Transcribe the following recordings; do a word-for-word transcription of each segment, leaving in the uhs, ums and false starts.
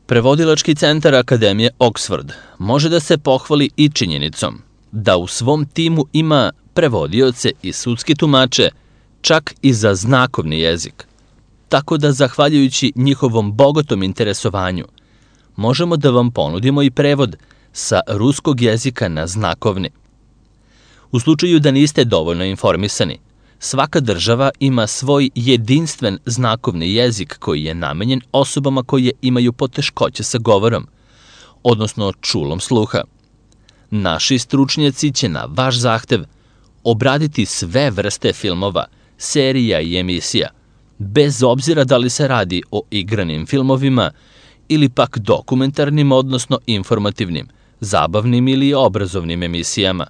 Prevodilački centar Akademije Oxford može da se pohvali i činjenicom da u svom timu ima prevodioce i sudske tumače čak i za znakovni jezik, tako da zahvaljujući njihovom bogatom interesovanju možemo da vam ponudimo i prevod sa ruskog jezika na znakovni. U slučaju da niste dovoljno informisani, svaka država ima svoj jedinstven znakovni jezik koji je namenjen osobama koje imaju poteškoće sa govorom, odnosno čulom sluha. Naši stručnjaci će na vaš zahtev obraditi sve vrste filmova, serija i emisija, bez obzira da li se radi o igranim filmovima ili pak dokumentarnim, odnosno informativnim, zabavnim ili obrazovnim emisijama.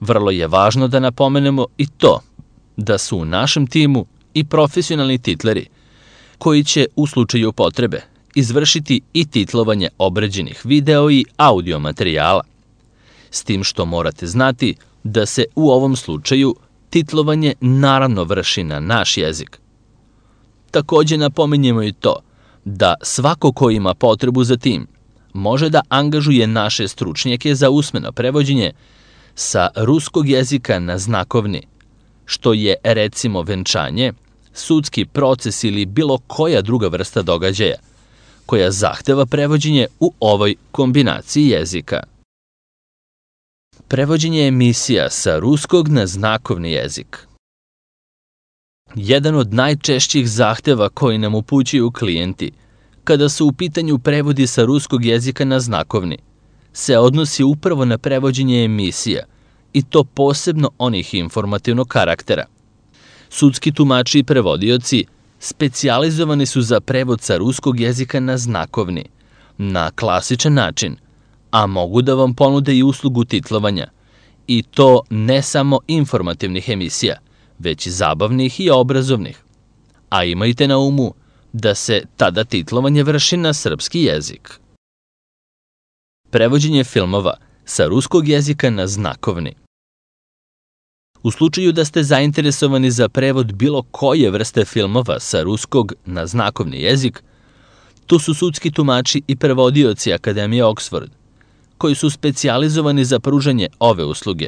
Vrlo je važno da napomenemo i to da su u našem timu i profesionalni titleri koji će u slučaju potrebe izvršiti i titlovanje obrađenih video i audio materijala, s tim što morate znati da se u ovom slučaju titlovanje naravno vrši na naš jezik. Takođe napominjemo i to da svako ko ima potrebu za tim može da angažuje naše stručnjake za usmeno prevođenje sa ruskog jezika na znakovni, što je recimo venčanje, sudski proces ili bilo koja druga vrsta događaja, koja zahteva prevođenje u ovoj kombinaciji jezika. Prevođenje emisija sa ruskog na znakovni jezik. Jedan od najčešćih zahteva koji nam upućuju klijenti kada su u pitanju prevodi sa ruskog jezika na znakovni se odnosi upravo na prevođenje emisija, i to posebno onih informativnog karaktera. Sudski tumači i prevodioci specijalizovani su za prevod sa ruskog jezika na znakovni, na klasičan način, a mogu da vam ponude i uslugu titlovanja, i to ne samo informativnih emisija, već i zabavnih i obrazovnih. A imajte na umu da se tada titlovanje vrši na srpski jezik. Prevođenje filmova sa ruskog jezika na znakovni. U slučaju da ste zainteresovani za prevod bilo koje vrste filmova sa ruskog na znakovni jezik, tu su sudski tumači i prevodioci Akademije Oxford, koji su specijalizovani za pružanje ove usluge.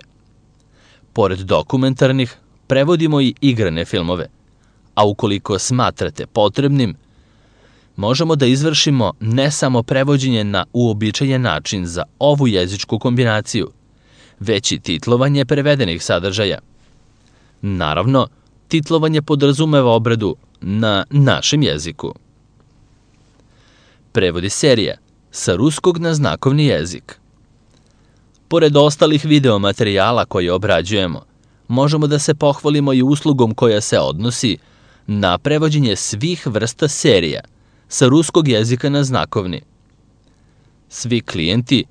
Pored dokumentarnih, prevodimo i igrane filmove, a ukoliko smatrate potrebnim, možemo da izvršimo ne samo prevođenje na uobičajen način za ovu jezičku kombinaciju, već i titlovanje prevedenih sadržaja. Naravno, titlovanje podrazumeva obradu na našem jeziku. Prevodi serija sa ruskog na znakovni jezik. Pored ostalih video materijala koje obrađujemo, možemo da se pohvalimo i uslugom koja se odnosi na prevođenje svih vrsta serija sa ruskog jezika na znakovni. Svi klijenti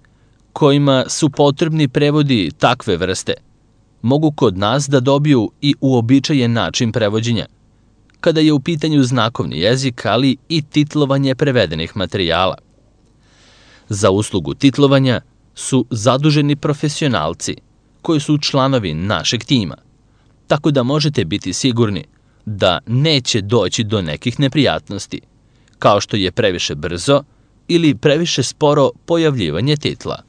kojima su potrebni prevodi takve vrste mogu kod nas da dobiju i uobičajen način prevođenja, kada je u pitanju znakovni jezik, ali i titlovanje prevedenih materijala. Za uslugu titlovanja su zaduženi profesionalci koji su članovi našeg tima, tako da možete biti sigurni da neće doći do nekih neprijatnosti, kao što je previše brzo ili previše sporo pojavljivanje titla.